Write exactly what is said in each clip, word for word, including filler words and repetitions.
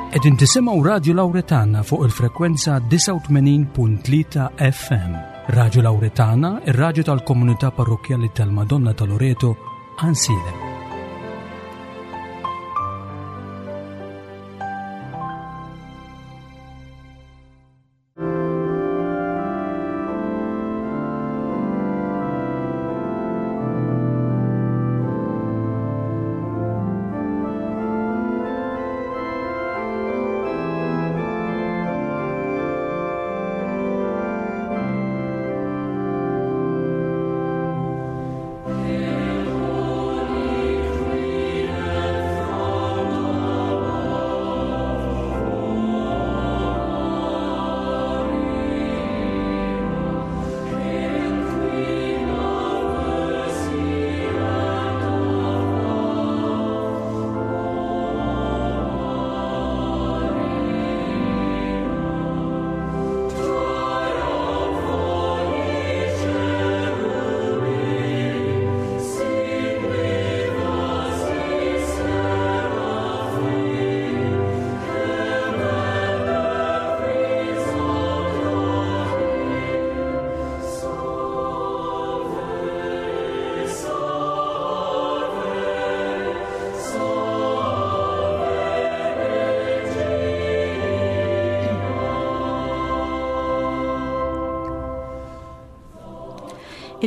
Qegħdin tisimgħu Radio Lauretana fuq il-frekwenza disgħa u tmenin punt tlieta F M. Radio Lauretana, ir-radju tal-Komunità Parrokkjali tal-Madonna ta' Loreto, Għajnsielem.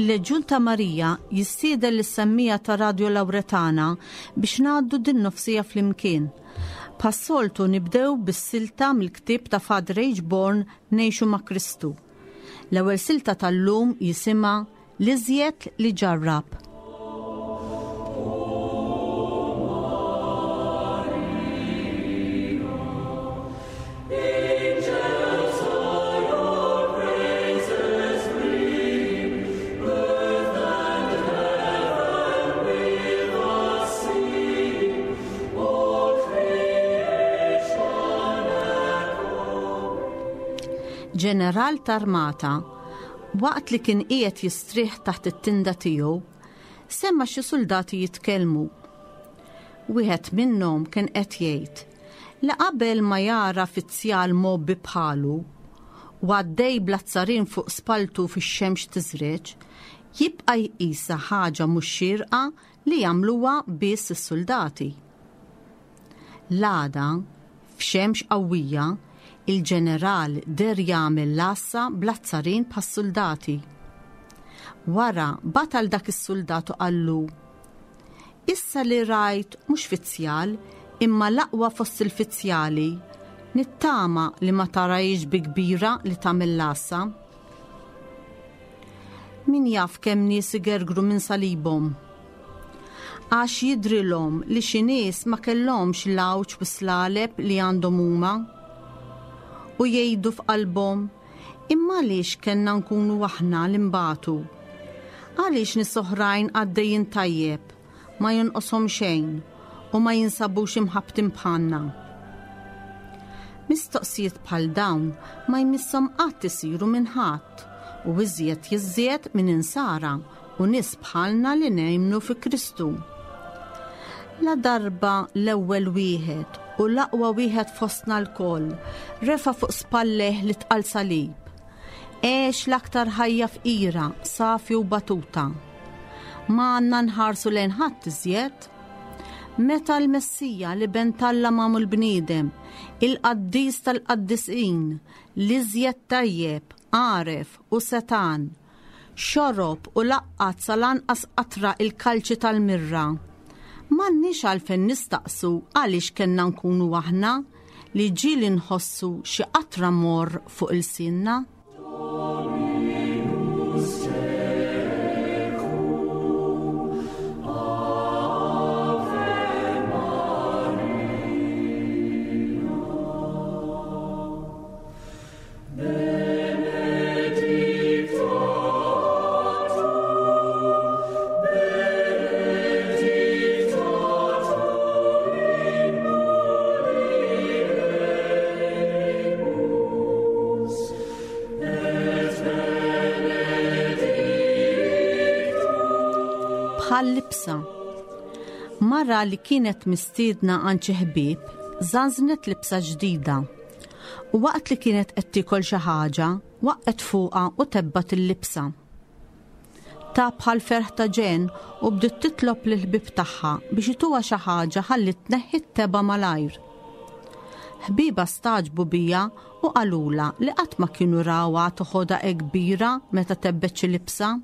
Il-Leġjun ta' Marija jistieden lis-semmiegħa ta' Radio Lauretana biex ngħaddu din nofsiegħa flimkien. Bħas-soltu nibdew bis-silta mill-ktieb ta' Father H. Born, Ngħixu ma' Kristu. L-ewwel silta tal-lum jisimha "L-iżjed li ġarrab". Ġeneral t'armata, waqt li kien qiegħed jistrieħ taħt it-tinda tiegħu, sema' xi soldati jitkellmu. Wieħed minnhom kien qed jgħid li qabel ma jara fizzjal mgħobbi bħalu u għaddej bl-azzarin fuq spaltu fix-xemx tiżreġ, jibqa' jqisha ħaġa mhux xierqa li jagħmluha biss is-soldati. L-għada, f'xemx qawwija, il-ġeneral deher jagħmel l-għassa bl-azzarin bħas-soldati. Wara batal dak is-soldat u qallu: "Issa li rajt mhux fizzjal imma l-aqwa fost il-fizzjali, nittama li ma tarahiex bi kbira li tagħmel l-għassa." Min jaf kemm nies igergru minn salibhom, għax jidrilhom li xi nies ma kellhomx l-għawġ u slaleb li għandhom huma u jgħidu f'qalbhom: "Imma għaliex kellna nkunu aħna li nbatu? Għaliex nies oħrajn għaddejjin tajjeb, ma jonqoshom xejn u ma jinsabux imħabbtin bħalna?" Mistoqsijiet bħal dawn ma jmisshom qatt isiru minn ħadd, u iżjed jiżjed minn insara u nies bħalna li nemmnu fi Kristu. La darba l-ewwel wieħed u l-aqwa wieħed fostna lkoll refa' fuq spallejh l-itqal salib, għex l-aktar ħajja fqira, safi u batuta, ma għandna nħarsu lejn ħadd iżjed. Meta l-Messija, l-Iben t'Alla magħmul bniedem, il-qaddis tal-qaddisin, l-iżjed tajjeb, għaref u setgħan, xorob u laqqat sal-anqas qatra il-kalċi tal-mirra, m'għandniex għalfejn nistaqsu għaliex kellna nkunu aħna li ġieli nħossu xi qatra morr fuq ilsienna. Dominus tecum, Ave Maria. Benedicta tu, benedicta tu in mulieribus, et benedictus Bħal libsa. Mara li kienet mistiedna għand xi ħbieb żanżnet libsa ġdida. U waqt li kienet qed tiekol xi ħaġa, waqgħet fuqha u tebbat il-libsa. Ta' bħal ferħ ta' ġen u bdiet titlob lill-ħbieb tagħha biex ituha xi ħaġa ħalli tneħħi t-tebgħa malajr. Ħbieba staġbu bija u qalula li qatt ma kienu rawha toħodha hekk kbira meta tebbet xi libsa.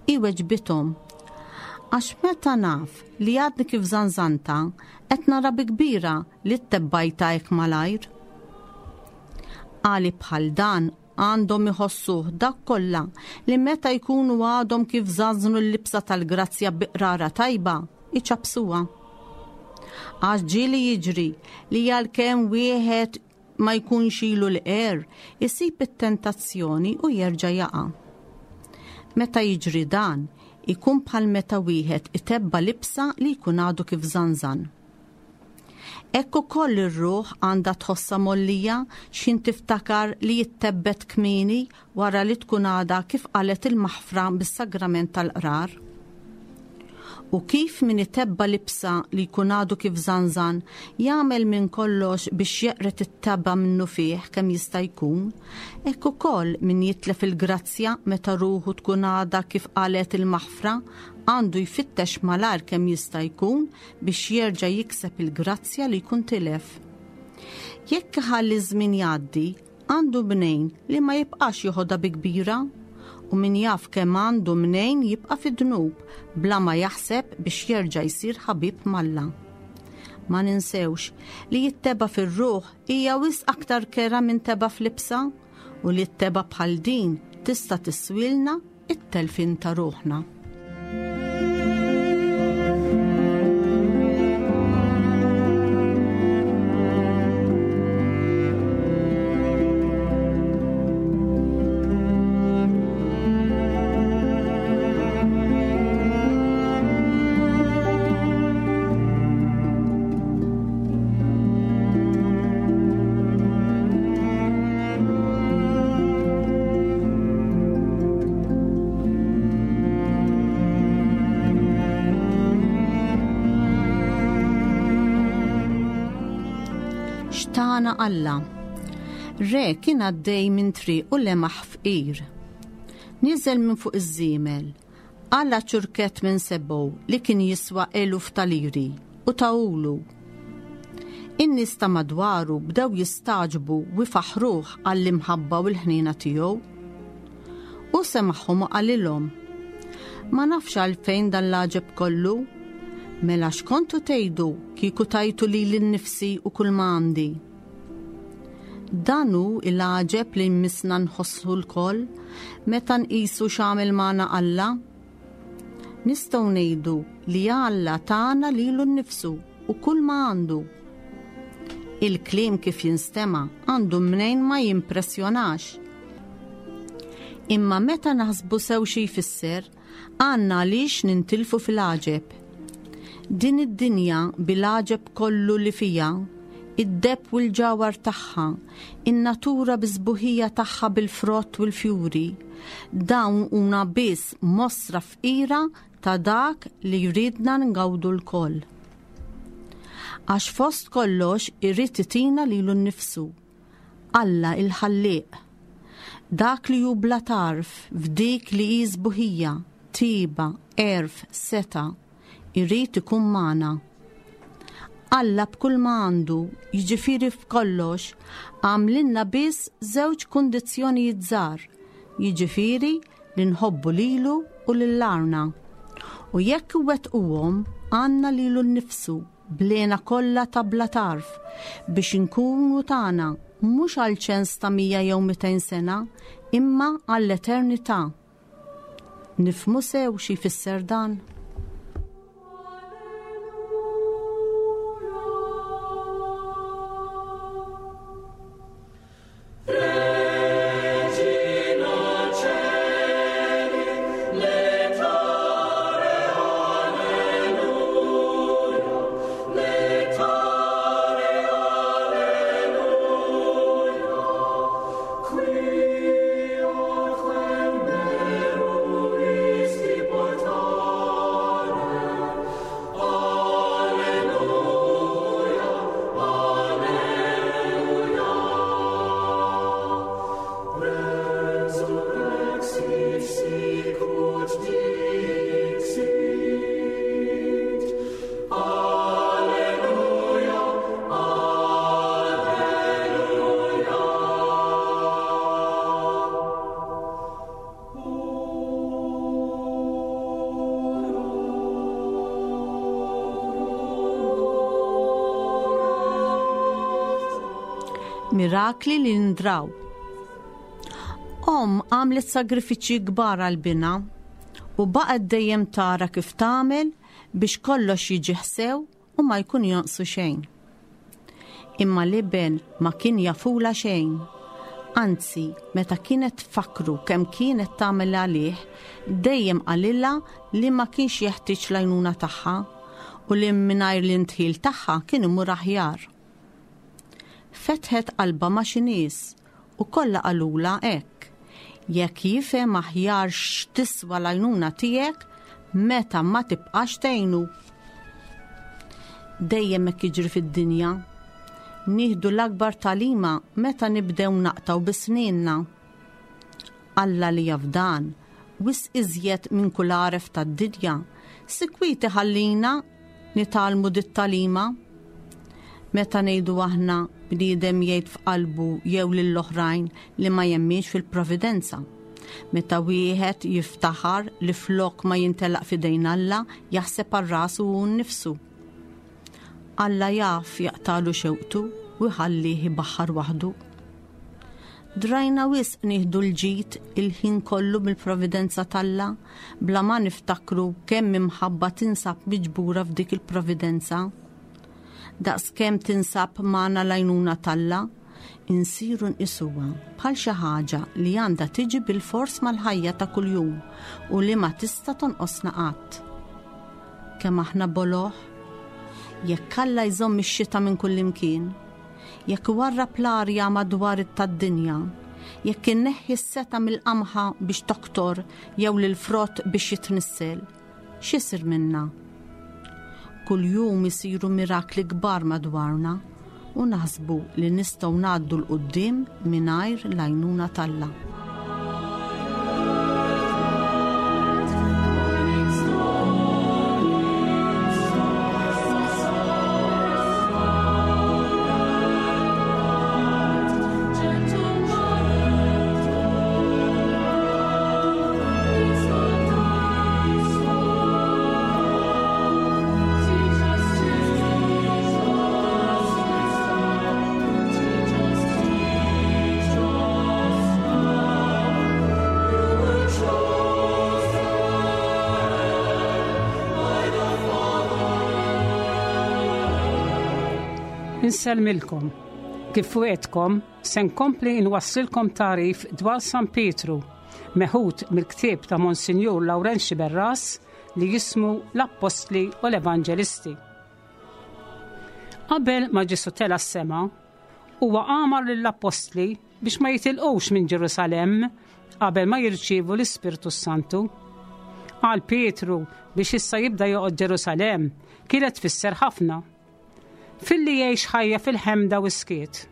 Hi weġbithom, għax meta naf li għadni kif żanżanta qed nara bi kbira li ttebbajta hekk malajr. Għali bħal dan għandhom iħossuh dak kollha li meta jkunu għadhom kif żanżnu l-libsa tal-grazzja bi qrara tajba, iċabsuha. Għax ġieli jiġri li għalkemm wieħed ma jkunx ilu l-qer, isib it-tentazzjoni u jerġa' jaqa'. Meta jiġri dan, ikun bħal meta wieħed itebba libsa li jkun għadu kif żanżan. Hekk ukoll ir-ruħ għandha tħossha mollija x'ħin tiftakar li jittebbet kmieni wara li tkun għadha kif qalet il-maħfra bis-sagrament tal-qrar. U kif min itebba libsa li jkun għadu kif żanżan jagħmel minn kollox biex jeqret it-tebba minnu fih kemm jista' jkun, hekk ukoll min jitlef il-grazzja meta ruħu tkun għadha kif qalet il-maħfra għandu jfittex malar kemm jista' jkun biex jerġa' jikseb il-grazzja li jkun tilef. Jekk iħalli żmien jgħaddi, għandu mnejn li ma jibqax joħodha bi kbira, u min jaf kemm għandu mnejn jibqa' fid-dnub bla ma jaħseb biex jerġa' jsir ħabib m'Alla. Ma ninsewx li jitteba fir-ruħ hija wisq aktar kera minn teba fl-libsa, u li t-teba bħal din tista' tiswilna it-telfin ta' ruħna. X'tana Alla. Re kien għaddej minn triq u lemaħ fqir. Niżel minn fuq iż-żiemel, qala ċurkett minn sebgħu li kien jiswa eluf ta' liri u tawulu. In-nies ta' madwaru bdew jistaġbu u jfaħruh għall-imħabba u l-ħniena tiegħu. U semagħhom u qalilhom, ma nafx għalfejn dan l-għaġeb kollu, mela x'kontu tgħidu kieku tajtu lili nnifsi u kull ma għandi. Dan hu l-għaġeb li jmissna nħossu lkoll meta nqisu x'għamel magħna Alla. Nistgħu ngħidu li Alla tana lilu nnifsu u kull ma għandu. Il-kliem kif jinstema' għandu mnejn ma jimpressjonax. Imma meta naħsbu sew xi jfisser, għandna għaliex nintilfu fil-għaġeb. Din id-dinja bil-għaġeb kollu li fija, id-deb u l-ġawhar tagħha, in-natura biż-sbuħija tagħha bil-frott u l-fjuri, dawn huma biss mostra fqira ta' dak li jridna ngawdu lkoll. Għax fost kollox irid itina lilu nnifsu, Alla il-ħallieq, dak li hu bla tarf f'dik li hi sbuħija, tiba, għerf, seta', irid ikun magħna. Alla b'kull ma għandu, jiġifieri f'kollox, għamlilna biss żewġ kundizzjonijiet żgħar, jiġifieri li nħobbu lilu u lil arna. U jekk iwettquhom, għandna lilu nnifsu blena kollha ta' bla tarf biex inkunu tagħna mhux għal ċens ta' mija jew mitejn sena, imma għall-eternità. Nifhmu sew xi jfisser dan? Qui Mirakli li ndraw. Omm għamlet sagrifiċċji kbar għal binha u baqgħet dejjem tara kif tagħmel biex kollox jiġi ħsew u ma jkun jonqsu xejn. Imma l-iben ma kien jafula xejn. Anzi, meta kienet tfakkru kemm kienet tagħmel għalih, dejjem qalilha li ma kienx jeħtieġ l-għajnuna tagħha u li mingħajr l-indħil tagħha kien imur aħjar. Fetħet qalbha ma' xi nies u kollha qalulha hekk. Jekk jifhem aħjar x'tiswa l-għajnuna tiegħek meta ma tibqax tgħinu. Dejjem hekk jiġri fid-dinja. Nieħdu l-akbar tagħlima meta nibdew naqtgħu bi snienna. Alla li jaf dan, wisq iżjed minn kull għaref tad-dinja, sikwit iħallina nitgħallmu dit-tagħlima. Meta ngħidu aħna bniedem jgħid f'qalbu jew lill-oħrajn li ma jemminx fil-providenza. Meta wieħed jiftaħar li flok ma jintelaq f'idejn Alla, jaħseb għal rasu u nnifsu. Alla jaf jaqtalu xewqtu u jħallih ibaħħar waħdu. Drajna wisq nieħdu l-ġid il-ħin kollu mill-providenza t'Alla bla ma niftakru kemm imħabba tinsab miġbura f'dik il-providenza. Daqs kemm tinsab magħna l-għajnuna t'Alla, insiru nqisuha bħal xi ħaġa li għandha tiġi bil-fors mal-ħajja ta' kuljum u li ma tista' tonqosna qatt. Kemm aħna boloh, jekk Alla jżomm ix-xita minn kullimkien, jekk iwarrab l-arja madwar tad-dinja, jekk inneħħi s-seta mill-qamħa biex toktor jew lill-frott biex jitnissel, x'isir minna? Kuljum isiru mirakli kbar madwarna u naħsbu li nistgħu ngħaddu 'l quddiem mingħajr l-għajnuna t'Alla. Insellmilkom. Kif wegħedtkom, se nkompli nwassilkom tagħrif dwar San Pietru, meħud mill-ktieb ta' Monsinjur Lawrenz Sciberras li jismu l-Appostli u l-Evanġelisti. Qabel ma Ġesù tela' s-sema, huwa amar lill-Appostli biex ma jitilqux minn Ġerusalemm qabel ma jirċievu l-Ispirtu Santu. Għal Pietru biex issa jibda joqgħod Ġerusalemm kienet tfisser ħafna. Filli jgħix ħajja fil-ħemda u skiet.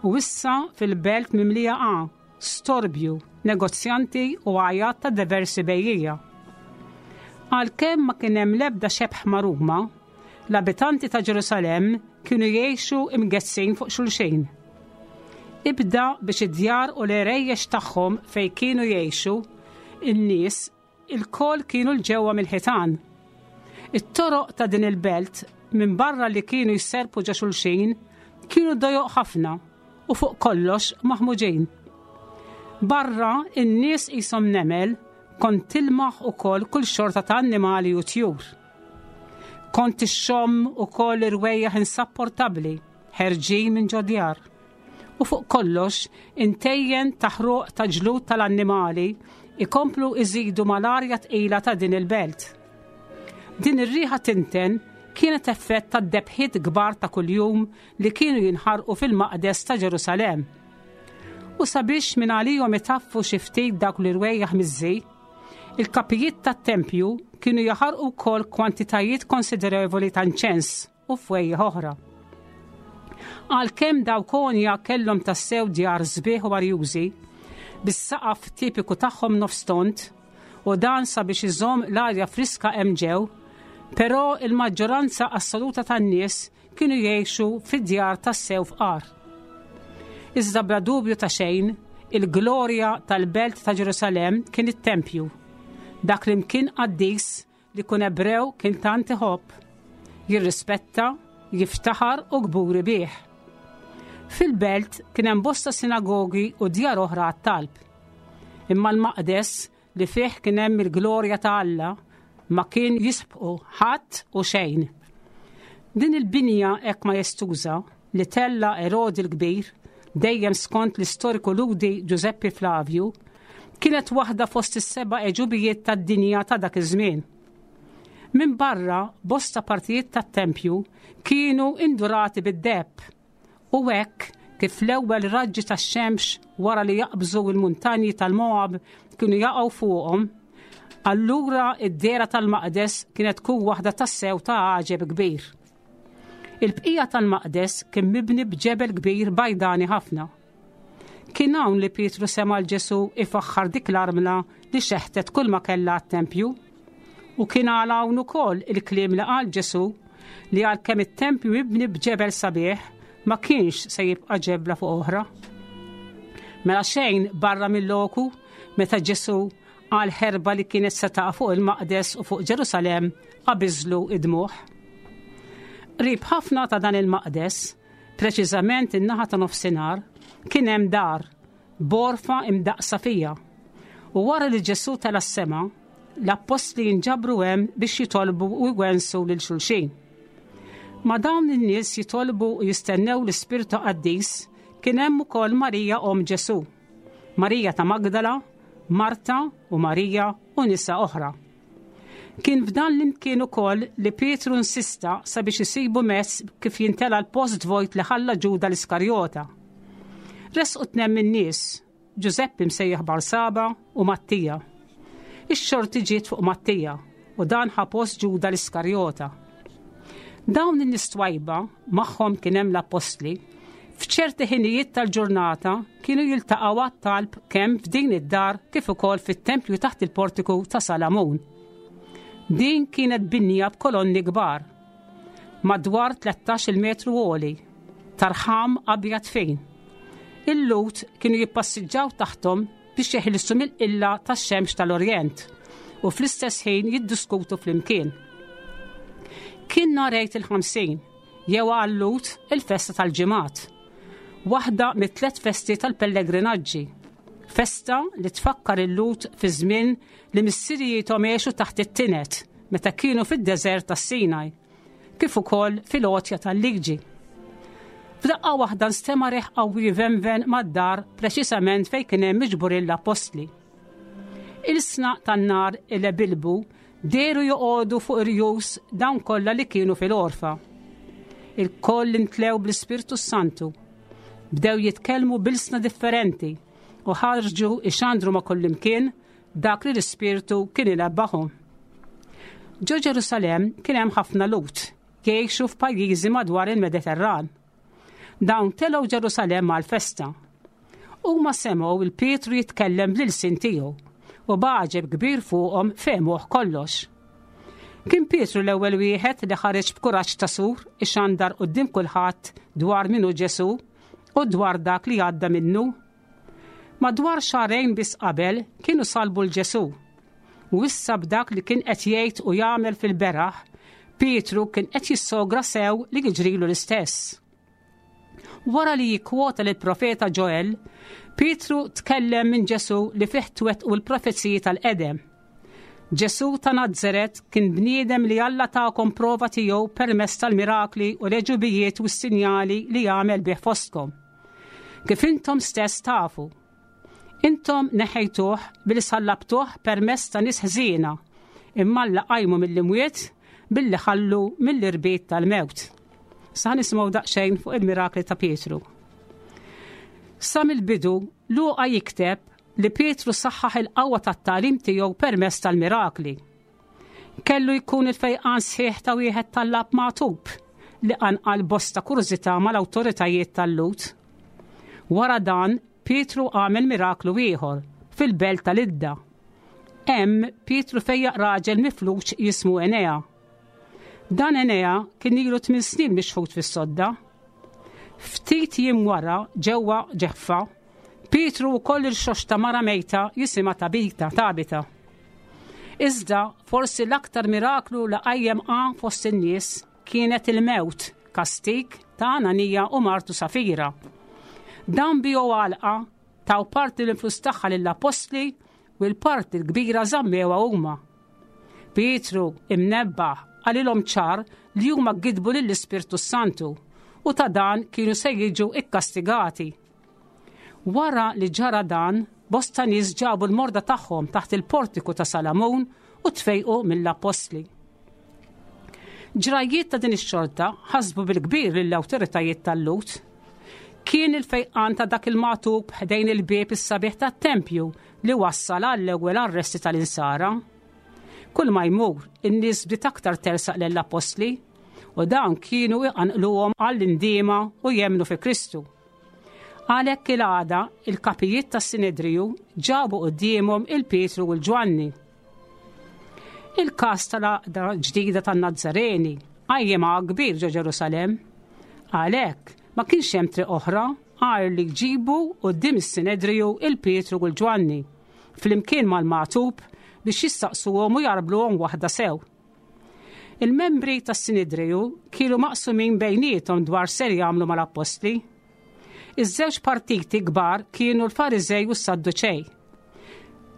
U issa fil-belt mimlija A, storbju, negozjanti u għajat ta' diversi bejjiegħa. Għalkemm ma kien hemm l-ebda xebh ma' Ruma, l-abitanti ta' Ġerusalemm kienu jgħixu imgessin fuq xulxin. Ibda biex id-djar u l-erejjex tagħhom fejn kienu jgħixu, in-nies ilkoll kienu 'l ġewwa mill-ħitan. It-toroq ta' din il-belt minn barra li kienu jserpu ġo xulxin, kienu dojoq ħafna u fuq kollox maħmuġin. Barra in-nies qishom nemel kont tilmaħ ukoll kull xorta ta' annimali u tjur. Kont ixxomm ukoll irwejjaħ insapportabbli ħerġin minn ġodjar. U fuq kollox intejjen taħruq ta' ġlud tal-annimali ikomplu iżidu mal-arja tqila ta' din il-belt. Din ir-riħa tinten kienet effett ta' debħiet kbar ta' kuljum li kienu jinħarqu fil-maqdes ta' Ġerusalemm. U sabiex minn għalihom itaffu xi ftit dawk l-irwejjaħ miżżi, il-kapijiet tat-tempju kienu jaħarqu wkoll kwantitajiet konsiderevoli ta' inċens u fwejjaħ oħra. Għalkemm dawk għonja kellhom tassew djar sbieħ u arjużi, bis-saqaf tipiku tagħhom nofstont, u dan sabiex iżomm l-arja friska hemm ġew, però il-maġġoranza assoluta tan-nies kienu jgħixu fid-djar tassew fqar. Iżda bla dubju ta' xejn, il-glorja tal-belt ta' Ġerusalemm kien it-tempju, dak li mkien qaddis li kun Ebrew kien tant iħobb, jirrispetta, jiftaħar u kburi bih. Fil-belt kien hemm bosta sinagogi u djar oħra għat-talb. Imma l-maqdes li fih kien hemm il-glorja ta' Alla ma kien jisbqu ħadd u xejn. Din il-binja hekk majestuża li tella Erodi l-Kbir, dejjem skont l-istoriku Lhudi Giuseppe Flavio, kienet waħda fost is-seba' għeġubijiet tad-dinja ta' dak iż-żmien. Minn barra, bosta partijiet tat-tempju kienu indurati bid-deheb u hekk kif l-ewwel raġġi tax-xemx wara li jaqbżu l-muntanji tal-Moab kienu jaqgħu fuqhom, allura id-dehra tal-maqdes kienet tkun waħda tassew ta' għaġeb kbir. Il-bqija tal-maqdes kien mibni b'ġebel kbir bajdani ħafna. Kien hawn li Pietru sema' 'l Ġesu ifaħħar dik l-armla li xeħtet kull ma kellha għat-tempju. U kien għal hawn ukoll il-kliem li qal Ġesu li għalkemm it-tempju mibni b'ġebel sabiħ ma kienx se jibqa' ġebla fuq oħra. Mela xejn barra mill-loku meta Ġesu għal ħerba li kienet se taqa' fuq il-maqdes u fuq Ġerusalem qabiżlu id-dmugħ. Qrib ħafna ta' dan il-maqdes, preċiżament in-naħa ta' nofsinhar, kien hemm dar, b'għorfa imdaqsa fija. U wara li Ġesu tela' s-sema, l-appostli jinġabru hemm biex jitolbu u jwensu lil xulxin. Ma' dawn in-nies jitolbu u jistennew l-Ispirtu Qaddis kien hemm ukoll Marija omm Ġesu, Marija ta' Magdala, Marta u Marija u nisa oħra. Kien f'dan l-imkien ukoll li Pietru insista sabiex isibu mezz kif jintela l-post vojt li ħalla Ġuda l-Iskarjota. Resqu tnejn min-nies, Ġużeppi msejjaħ Barsaba u Mattija. Ix-xorti ġiet fuq Mattija u dan ħa post Ġuda l-Iskarjota. Dawn in-nies twajba magħhom kien hemm l-appostli f'ċerti ħinijiet tal-ġurnata kienu jiltaqgħu għat-talb kemm f'din id-dar kif ukoll fit-tempju taħt il-portiku ta' Salamun. Din kienet binja b'kolonni kbar, madwar tlettax-il metru għoli, ta' rħam abjad fin. Il-Lhud kienu jippassiġġaw taħtom biex jeħilsu mill-qilla tax-xemx tal-Orjent u fl-istess ħin jiddiskutu flimkien. Kien nhar Għid il-Ħamsin, jew għal-Lhud il-festa tal-ġimgħat, waħda mit-tliet festi tal-pellegrinaġġi, festa li tfakkar il-Lhud fi żmien li missirijiethom għexu taħt it-tinet meta kienu fid-deżert tas-Sinaj, kif ukoll fil-għotja tal-liġi. F'daqqa waħda nstema' riħ qawwi venven mad-dar preċisament fejn kien hemm miġburin l-appostli. Ilsna tan-nar ilebilbu dehru joqogħdu fuq irjus dawn kollha li kienu fil-għorfa. Il-koll imtlew bl-Ispirtu Santu. Bdew jitkellmu b'ilsna differenti u ħarġu ixandru ma' kullimkien dak li l-Ispirtu kien inebbaħhom. Ġo Ġerusalem kien hemm ħafna Lhud jgħixu f'pajjiżi madwar il-Mediterran. Dawn telgħu Ġerusalem għal-festa. Huma semgħu 'l Pietru jitkellem bl-ilsien tiegħu u b'għaġeb kbir fuqhom fehmuh kollox. Kien Pietru l-ewwel wieħed li ħareġ b'kuraġġ ta' sur ixandar quddiem kulħadd dwar min hu Ġesu u dwar dak li għadda minnu. Madwar xahrejn biss qabel kienu salbu 'l Ġesu. U issa b'dak li kien qed jgħid u jagħmel fil-beraħ, Pietru kien qed jissogra sew li jiġrilu l-istess. Wara li jikkwota lill-profeta Joel, Pietru tkellem minn Ġesu li fih twettqu l-profeziji tal-qedem. Ġesu ta' Nazzaret kien bniedem li Alla takom prova tiegħu permezz tal-mirakli u l-għeġubijiet u s-sinjali li għamel bih fostkom. Kif intom stess tafu. Intom neħejtuh billi sallabtuh permezz ta' nies ħżiena, imma Alla qajmu mill-imwiet billi ħallu mill-irbit tal-mewt. Sa nisimgħu daqsxejn fuq il-mirakli ta' Pietru. Sa mill-bidu Luqa jikteb li Pietru saħħaħ il-qawwa tat-tagħlim tiegħu permezz tal-mirakli. Kellu jkun il-fejqan sħiħ ta' wieħed tallab magħtub li qanqal bosta kurżità mal-awtoritajiet tal-Lhud. Wara dan, Pietru għamel miraklu ieħor fil-belt tal-Idda. Hemm Pietru fejjaq raġel mifluġ jismu Enea. Dan Enea kien ilu tmien snin mixħut fis-sodda. Ftit jiem wara ġewwa Ġaffa, Pietru wkoll irxoxta mara mejta jisimha Tabita, Tabita. Iżda forsi l-aktar miraklu li qajjem għan fost in-nies kienet il-mewt, kastig ta' Ananija u martu Safira. Dan biegħu għalqa, taw parti l-flus tagħha lill-appostli u l-parti l-kbira żammewha huma. Pietru imnebbaħ qalilhom ċar li huma gidbu lill-Ispirtu Santu u ta' dan kienu se jiġu ikkastigati. Wara li ġara dan, bosta nies ġabu l-morda tagħhom taħt il-portiku ta' Salamun u tfejqu mill-appostli. Ġrajiet ta' din ix-xorta ħasbu bil-kbir lill-awtoritajiet tal-Lhud. Kien il-fejqan ta' dak il-magħtub ħdejn il-bieb is-sabiħ tat-tempju li wassal għall-ewwel arresti tal-insara. Kull ma jmur, in-nies bdiet aktar tersaq lill-appostli u dawn kienu iqanqluhom għall-indiema u jemmnu fi Kristu. Għalhekk il-għada, il-kapijiet tas-Sinedriju ġabu quddiemhom il-Pietru u l-Ġwanni. Il-każ tal-għaqda ġdida tan-Nazzareni qajjem kbir ġo Ġerusalemm. Għalhekk ma kienx hemm triq oħra għajr li jġibu quddiem is-Sinedriju il-Pietru u l-Ġwanni flimkien mal-magħtub biex jistaqsuhom u jgħarbluhom waħda sew. Il-membri tas-Sinedriju kienu maqsumin bejniethom dwar ser jagħmlu mal-appostli. Iż-żewġ partiti kbar kienu l-Fariżej u s-Sadduċej.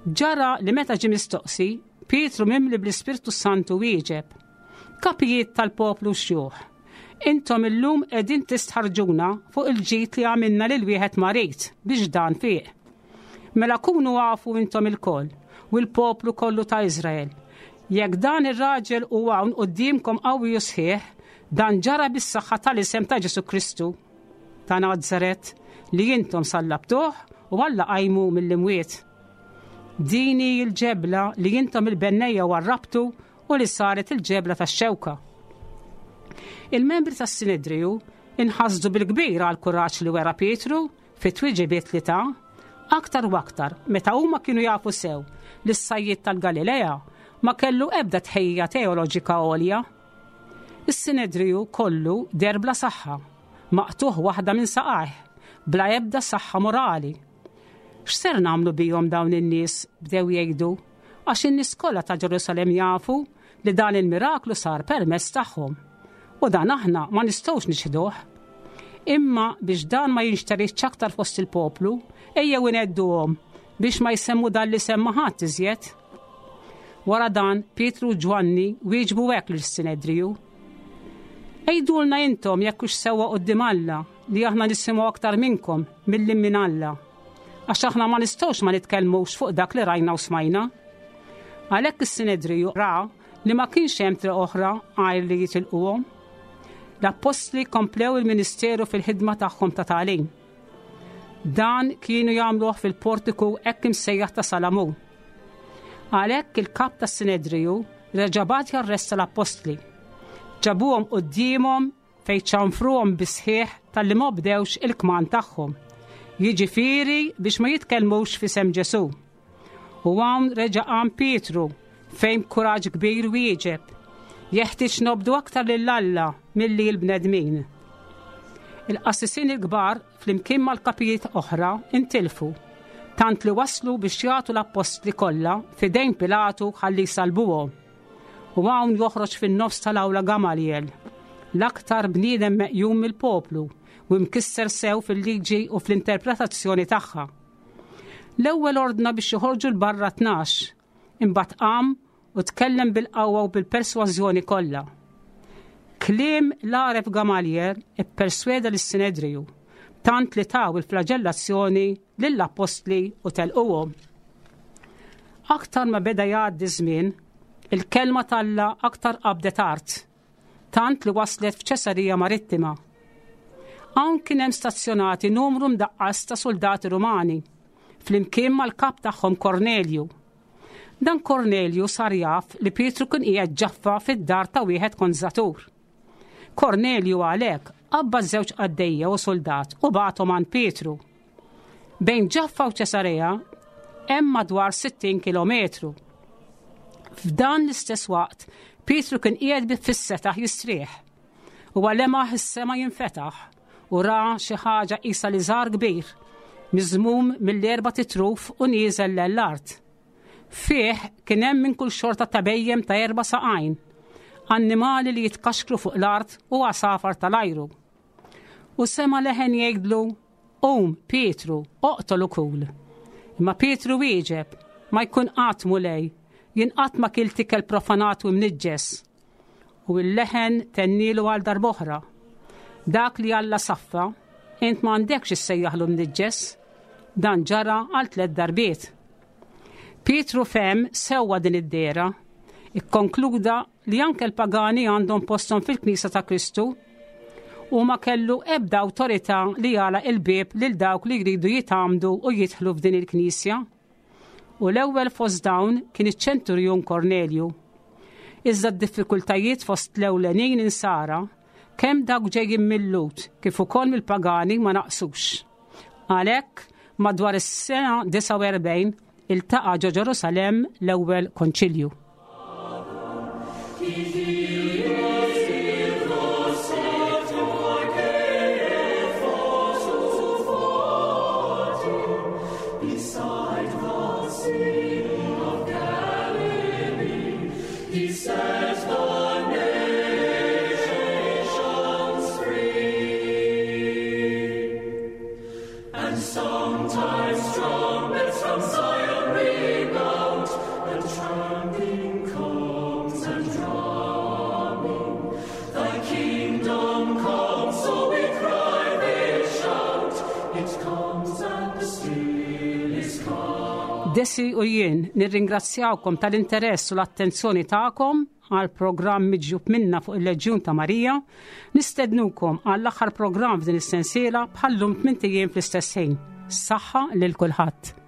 Ġara li meta ġie mistoqsi, Pietru mimli bl-Ispirtu Santu wieġeb: "Kapijiet tal-poplu, xjuħ, intom illum qegħdin tistħarrġuna fuq il-ġid li għamilna lil wieħed marid biex dan fieq. Mela kunu afu intom ilkoll u l-poplu kollu ta' Izrael. Jekk dan ir-raġel hu hawn quddiemkom qawwi u sħiħ, dan ġara bis-saħħa tal-isem ta' Ġesu Kristu ta' Nazaret li intom sallabtuh u Alla qajmu mill-imwiet. Din hi l-ġebla li intom il-bennejja warrabtu u li saret il-ġebla tax-xewka." Il-membri tas-Sinedriju inħasdu bil-kbir għal kuraġġ li wera Pietru fit-tweġibiet li ta, aktar u aktar meta huma kienu jafu sew li s-sajjied tal-Galilea ma kellu ebda tħejja teoloġika għolja. Is-Sinedriju kollu deher bla saħħa, maqtugħ waħda minn saqajh, bla ebda saħħa morali. "X'ser nagħmlu bihom dawn in-nies?" bdew jgħidu, "għax in-nies kollha ta' Ġerusalem jafu li dan il-miraklu sar permezz tagħhom. U dan aħna ma nistgħux niċħduh. Imma biex dan ma jinxteridx aktar fost il-poplu, ejjew inhedduhom biex ma jsemmu dan l-isem ma' ħadd iżjed." Wara dan, Pietru u Ġwanni wieġbu hekk lis-Sinedriju: "Għidulna intom jekk hux sewwa quddiem Alla li aħna nisimgħu aktar minnkom milli minn Alla. Għax aħna ma nistgħux ma nitkellmux fuq dak li rajna u smajna." Għalhekk is-Sinedriju ra li ma kienx hemm triq oħra għajr li jitilquhom. L-appostli komplew il-ministeru fil-ħidma tagħhom ta' tagħlim. Dan kienu jagħmluh fil-portiku hekk imsejjaħ ta' Salamun. Għalhekk il-kap tas-Sinedriju reġa' bagħat jarresta l-appostli. Ġabuhom quddiemhom fejn ċanfruhom bis-sħiħ talli ma obdewx il-kmand tagħhom. Jiġifieri biex ma jitkellmux f'isem Ġesu. U hawn reġa' qam Pietru fejn kuraġġ kbir wieġeb: "Jeħtieġ nobdu aktar lil Alla milli l-bnedmin." Il-qassisin il-kbar flimkien mal-kapijiet oħra intilfu, tant li waslu biex jagħtu l-appostli kollha f'idejn Pilatu ħalli jsalbuhom. U hawn joħroġ fin-nofs tal-awla Gamaliel, l-aktar bniedem meqjum mill-poplu u mkisser sew fil-liġi u fl-interpretazzjoni tagħha. L-ewwel ordna biex joħorġu 'l barra tnax, imbagħad qam u tkellem bil-qawwa u bil-persważjoni kollha. Kliem l-għaref Gamaliel ippersweda lis-Sinedriju, tant li taw il-flagellazzjoni lill-appostli u telquhom. Aktar ma beda jgħaddi żmien, il-kelma t'Alla aktar qabdet art, tant li waslet f'Ċesarija Marittima. Hawn kien hemm stazzjonati numru mdaqqas ta' soldati Rumani, flimkien mal-kap tagħhom Kornelju. Dan Kornelju sar jaf li Pietru kien qiegħed Ġaffa fid-dar ta' wieħed konzatur. Kornelju għalhekk qabbad żewġ qaddejja u soldat u bagħathom għand Pietru. Bejn Ġaffa u Ċesarea hemm madwar sittin kilometru. F'dan l-istess waqt, Pietru kien qiegħed fis-setaħ jistrieħ. U lemaħ is-sema jinfetaħ u ra xi ħaġa qisha liżar kbir, miżmum mill-erbat itruf u nieżel l-art. Fih kien hemm minn kull xorta ta' bhejjem ta' erba' saqajn, annimali li jitkaxkru fuq l-art u għasafar tal-ajru. U sema leħen jgħidlu, "Qum, Pietru, oqtol u kul." Imma Pietru wieġeb, "Ma jkun qatt Mulej, jien qatt ma kilt ikel profanat u mniġġes." U l-leħen tennilu għal darb'oħra. "Dak li Alla saffa, int ma għandekx issejjaħlu mniġġes." Dan ġara għal tliet darbiet. Pietru fehem sewwa din id-dehra, ikkonkluda li anke l-pagani għandhom postom fil-Knisja ta' Kristu u ma kellu ebda awtorità li jagħlaq il-bieb lil dawk li jridu jitgħammdu u jidħlu f'din il-Knisja. U l-ewwel fost dawn kien iċ-ċenturjun Kornelju. Iżda d-diffikultajiet fost l-ewlenin insara, kemm dawk ġejjin mil-Lhud kif ukoll mill-pagani, ma naqsux. Għalhekk madwar is-sena disgħa u erbgħin iltaqa' ġo Ġerusalemm l-ewwel konċilju. Beside the Sea of Galilee, He set the nations free. And sometimes trumpets from Zion ring out, and tramping comes and drumming. "Thy kingdom come," so we cry, they shout. It comes and still is come. Desi u jien nirringrazzjawkom tal-interess u l-attenzjoni tagħkom għal programm miġjub minna fuq il-Leġjun ta' Marija. Nistednukom għall-aħħar programm f'din is-sensiela bħallum tmint ijiem fl-istess ħin. Saħħa lil kulħadd.